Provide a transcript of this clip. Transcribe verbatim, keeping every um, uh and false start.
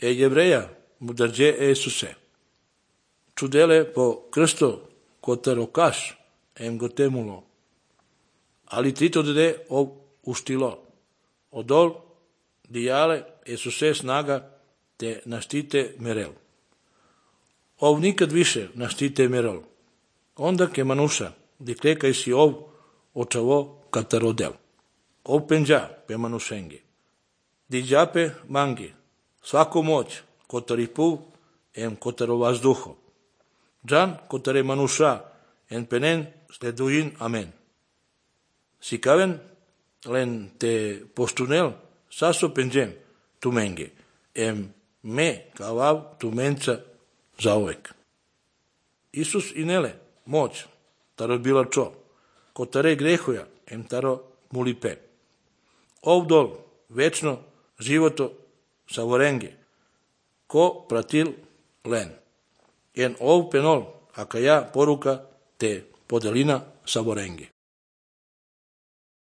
e jevreja mudarje Esuse. Čudele po krsto kotaro kaš em gotemulo. Ali trito de ov ustilo. Odol dijale Esuse snaga te naštite merel. Ov nikad više naštite merel. Onda ke manuša diklekaj si ov očavo katarodel. Ov penđa pe manušengi. Diđape mangi. Svako moć kotaripu em kotaro vazduho. Džan kotare manuša en penen sleduin amen. Sikaven len te postunel saso penđem tumenge. Em me kavav tumenca zauvek. Isus inele moć taro bila čo. Kotare grehuja em taro mulipe. Ovdol večno životo savorenge. Ko pratil len. En ov penol, aka ja poruka te podelina savorenge.